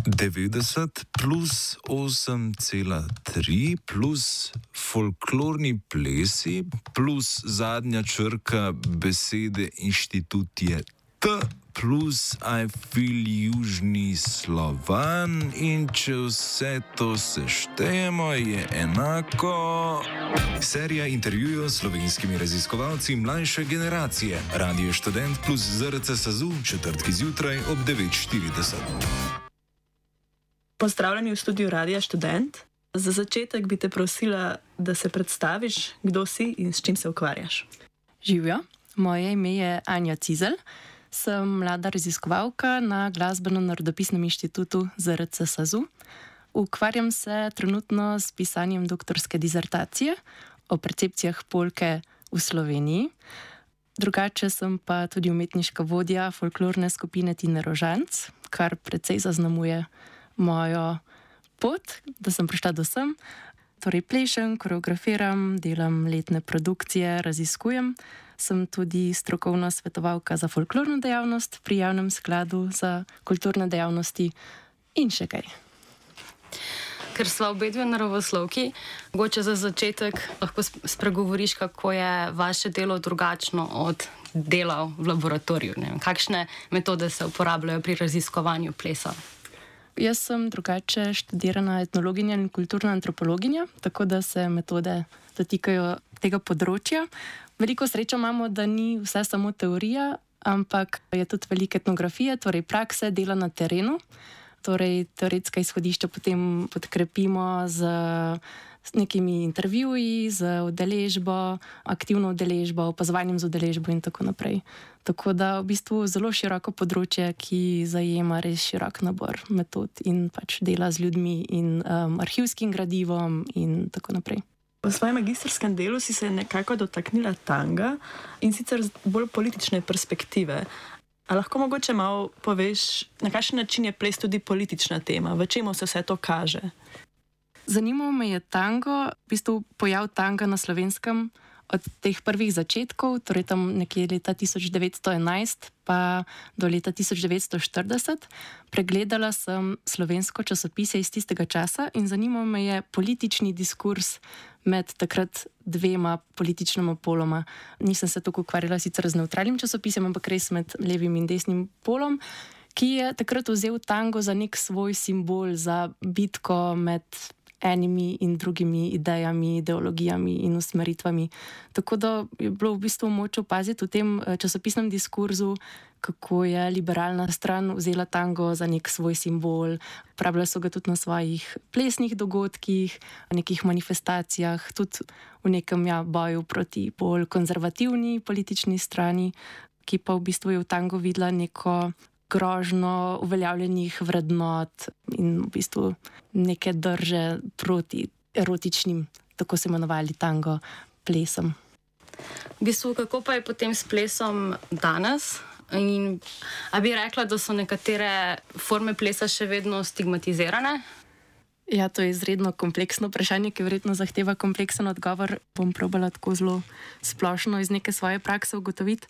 90 plus 8,3 plus folklorni plesi plus zadnja črka besede inštitut je T plus I feel južni Slovan in če vse to seštejemo je enako... Serija intervjujev s slovenskimi raziskovalci mlajše generacije. Radio Študent plus ZRC SAZU, četrtki zjutraj ob 9:40. Pozdravljeni v studiu Radia Študent. Za začetek bi te prosila, da se predstaviš, kdo si in s čim se ukvarjaš. Živjo, moje ime je Anja Cizelj, sem mlada raziskovalka na Glasbeno-narodopisnem inštitutu ZRC SAZU. Ukvarjam se trenutno s pisanjem doktorske disertacije o percepcijah polke v Sloveniji. Drugače sem pa tudi umetniška vodja folklorne skupine Tine Rožanc, kar precej zaznamuje mojo pot, da sem prišla do sem. Torej plešem, koreografiram, delam letne produkcije, raziskujem. Sem tudi strokovna svetovalka za folklorno dejavnost pri Javnem skladu za kulturne dejavnosti in še kaj. Ker sva obedve naravoslovki, mogoče za začetek lahko spregovoriš, kako je vaše delo drugačno od dela v laboratoriju. Ne vem, kakšne metode se uporabljajo pri raziskovanju plesa? Jaz sem drugače študirana etnologinja in kulturna antropologinja, tako da se metode dotikajo tega področja. Veliko srečo imamo, da ni vse samo teorija, ampak je tudi veliko etnografije, torej prakse, dela na terenu. Torej teoretska izhodišča potem podkrepimo z nekimi intervjuji, z udeležbo, aktivno udeležbo, opazovanjem z udeležbo in tako naprej. Tako da v bistvu zelo široko področje, ki zajema res širok nabor metod in pač dela z ljudmi in arhivskim gradivom in tako naprej. V svojem magistrskem delu si se nekako dotaknila tanga in sicer z bolj politične perspektive. A lahko mogoče malo poveš, na kakšen način je ples tudi politična tema? V čemu se vse to kaže? Zanimalo me je tango, v bistvu pojav tanga na Slovenskem od teh prvih začetkov, torej tam nekje leta 1911 pa do leta 1940. Pregledala sem slovensko časopise iz tistega časa in zanimalo me je politični diskurs med takrat dvema političnima poloma. Nisem se tako ukvarjala sicer z nevtralnim časopisem, ampak res med levim in desnim polom, ki je takrat vzel tango za nek svoj simbol, za bitko med enimi in drugimi idejami, ideologijami in usmeritvami. Tako da je bilo v bistvu moč opaziti v tem časopisnem diskurzu, kako je liberalna stran vzela tango za nek svoj simbol. Uporabljali so ga tudi na svojih plesnih dogodkih, nekih manifestacijah, tudi v nekem boju proti bolj konzervativni politični strani, ki pa v bistvu je v tango videla neko grožno uveljavljenih vrednot in v bistvu neke drže proti erotičnim, tako se imenovali tango, plesom. V bistvu, kako pa je potem s plesom danes? In a bi rekla, da so nekatere forme plesa še vedno stigmatizirane? Ja, to je izredno kompleksno vprašanje, ki verjetno zahteva kompleksen odgovor. Bom probala tako zelo splošno iz neke svoje prakse ugotoviti.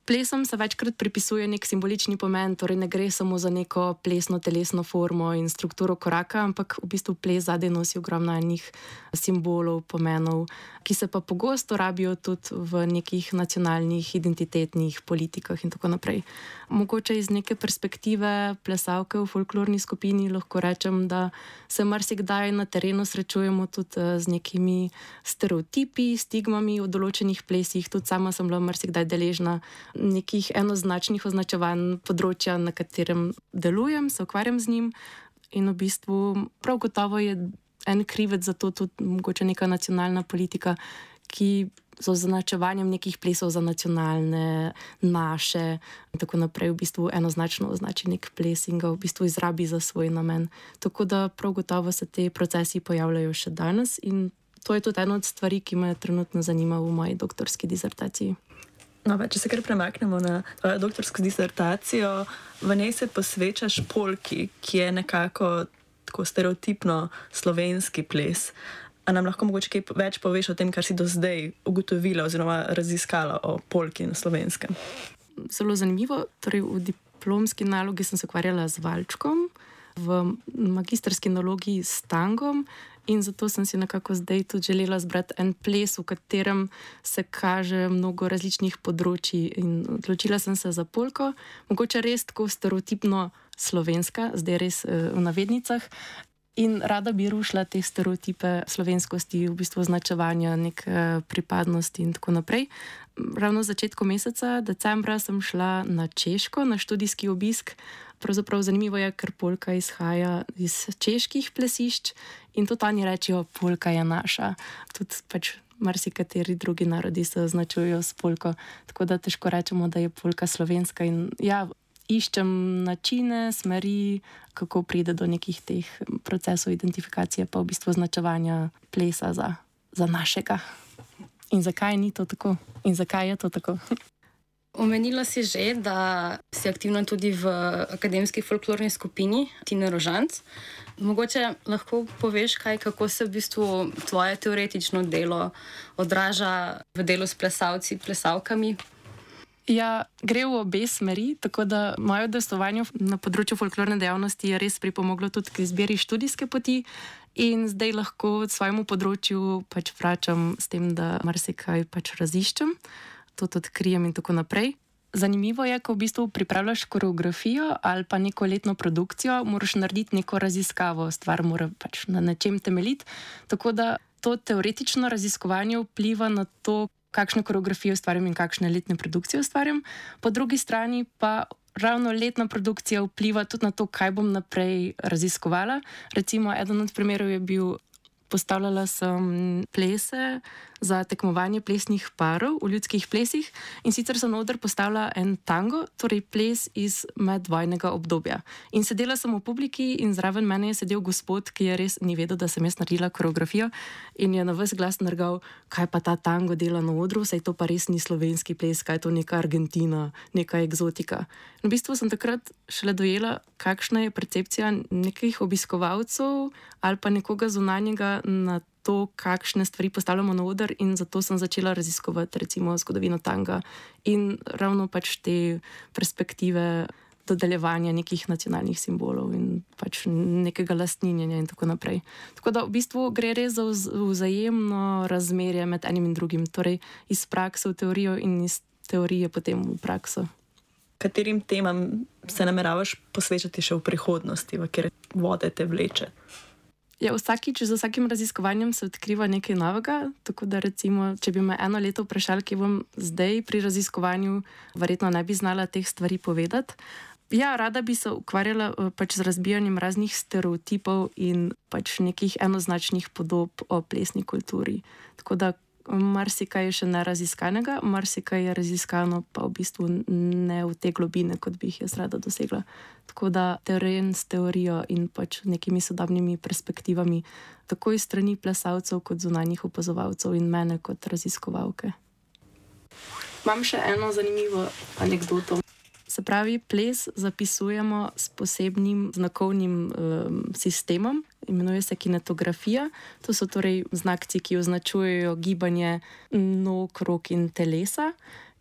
Plesom se večkrat pripisuje nek simbolični pomen, torej ne gre samo za neko plesno telesno formo in strukturo koraka, ampak v bistvu ples zadaj nosi ogromno enih simbolov, pomenov, ki se pa pogosto rabijo tudi v nekih nacionalnih identitetnih politikah in tako naprej. Mogoče iz neke perspektive plesalke v folklorni skupini lahko rečem, da se marsikdaj na terenu srečujemo tudi z nekimi stereotipi, stigmami v določenih plesih. Tudi sama sem bila marsikdaj deležna nekih enoznačnih označevanj področja, na katerem delujem, se ukvarjam z njim in v bistvu prav gotovo je en krivec za to tudi mogoče neka nacionalna politika, ki z označevanjem nekih plesov za nacionalne, naše in tako naprej v bistvu enoznačno označi nek ples in ga v bistvu izrabi za svoj namen. Tako da prav gotovo se te procesi pojavljajo še danes in to je tudi ena od stvari, ki me trenutno zanima v moji doktorski disertaciji. No, če se kar premaknemo na tvojo doktorsko disertacijo, v njej se posvečaš polki, ki je nekako tako stereotipno slovenski ples. A nam lahko mogoče kaj več poveš o tem, kar si do zdaj ugotovila oziroma raziskala o polki na Slovenskem? Zelo zanimivo. Torej v diplomski nalogi sem se ukvarjala z valčkom. v magistrski nalogi s tangom. In zato sem si nekako zdaj tudi želela zbrati en ples, v katerem se kaže mnogo različnih področji. In odločila sem se za polko, mogoče res tako stereotipno slovenska, zdaj res v navednicah. In rada bi rušila te stereotipe slovenskosti, v bistvu označevanja, neke pripadnosti in tako naprej. Ravno v začetku meseca, decembra, sem šla na Češko, na študijski obisk. Pravzaprav zanimivo je, ker polka izhaja iz čeških plesišč in tudi oni rečejo, polka je naša. Tudi pač marsikateri drugi narodi se označujejo s polko, tako da težko rečemo, da je polka slovenska. In ja, iščem načine, smeri, kako pride do nekih teh procesov identifikacije, pa v bistvu označevanja plesa za našega. In zakaj ni to tako? In zakaj je to tako? Omenila si že, da si aktivna tudi v akademski folklorni skupini Tine Rožanc. Mogoče lahko poveš kaj, kako se v bistvu tvoje teoretično delo odraža v delu s plesalci, plesavkami? Ja, gre v obe smeri, tako da moje udejstvovanje na področju folklorne dejavnosti je res pripomoglo tudi k izbiri študijske poti in zdaj lahko svojemu področju pač vračam s tem, da marsikaj pač raziščem, to odkrijem in tako naprej. Zanimivo je, ko v bistvu pripravljaš koreografijo ali pa neko letno produkcijo, moraš narediti neko raziskavo, stvar mora pač na nečem temeljiti, tako da to teoretično raziskovanje vpliva na to, kakšne koreografije ustvarjam in kakšne letne produkcije ustvarjam. Po drugi strani pa ravno letna produkcija vpliva tudi na to, kaj bom naprej raziskovala. Recimo, eden od primerov je bil, postavljala sem plese za tekmovanje plesnih parov v ljudskih plesih in sicer sem na oder postavila en tango, torej ples iz medvojnega obdobja. In sedela sem v publiki in zraven mene je sedel gospod, ki je res ni vedel, da sem jaz naredila koreografijo in je na ves glas nergal, kaj pa ta tango dela na odru, saj to pa res ni slovenski ples, kaj je to neka Argentina, neka egzotika. In v bistvu sem takrat šele dojela, kakšna je percepcija nekih obiskovalcev ali pa nekoga zunanjega na to, kakšne stvari postavljamo na oder in zato sem začela raziskovati recimo zgodovino tanga in ravno pač te perspektive dodeljevanja nekih nacionalnih simbolov in pač nekega lastninjenja in tako naprej. Tako da v bistvu gre res za vzajemno razmerje med enim in drugim, torej iz prakse v teorijo in iz teorije potem v prakso. Katerim temam se nameravaš posvečati še v prihodnosti, v kjer vode te vleče? Ja, vsakič z vsakim raziskovanjem se odkriva nekaj novega, tako da recimo, če bi me eno leto vprašali, kje bom zdaj pri raziskovanju, verjetno ne bi znala teh stvari povedati. Ja, rada bi se ukvarjala pač z razbijanjem raznih stereotipov in pač nekih enoznačnih podob o plesni kulturi. Tako da marsikaj je še neraziskanega, marsikaj je raziskano, pa v bistvu ne v te globine, kot bi jih jaz rada dosegla. Tako da teren s teorijo in pač nekimi sodobnimi perspektivami, tako iz strani plesalcev kot zunanjih opazovalcev in mene kot raziskovalke. Imam še eno zanimivo anekdoto. Se pravi, ples zapisujemo s posebnim znakovnim sistemom, imenuje se kinetografija. To so torej znakci, ki označujejo gibanje nog, rok in telesa.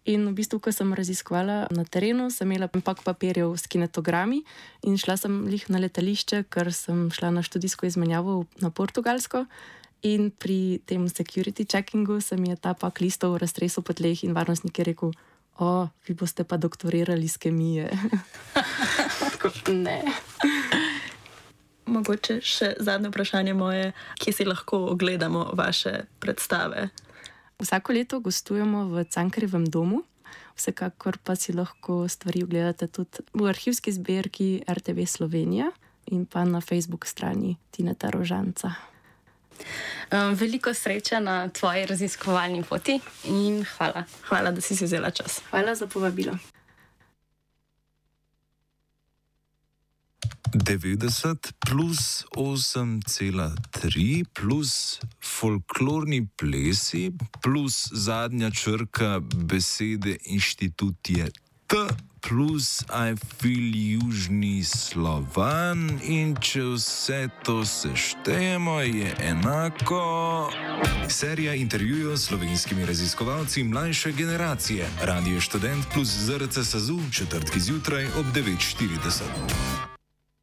In v bistvu, ko sem raziskovala na terenu, sem imela pak papirjev s kinetogrami in šla sem lih na letališče, ker sem šla na študijsko izmenjavo na Portugalsko. In pri tem security checkingu se mi je ta pak listov raztresel po tleh in varnostnik je rekel: vi boste pa doktorirali iz kemije. Ne. Mogoče še zadnje vprašanje moje, kje si lahko ogledamo vaše predstave? Vsako leto gostujemo v Cankarjevem domu, vsekakor pa si lahko stvari ogledate tudi v arhivski zbirki RTV Slovenija in pa na Facebook strani Tineta Rožanca. Veliko sreče na tvoji raziskovalni poti in hvala. Hvala, da si vzela čas. Hvala za povabilo. 90 plus 8,3 plus folklorni plesi plus zadnja črka besede inštitut je T plus I feel južni Slovan in če vse to seštejemo je enako... Serija intervjujev s slovenskimi raziskovalci mlajše generacije. Radio Študent plus ZRC SAZU, četrtki zjutraj ob 9:40.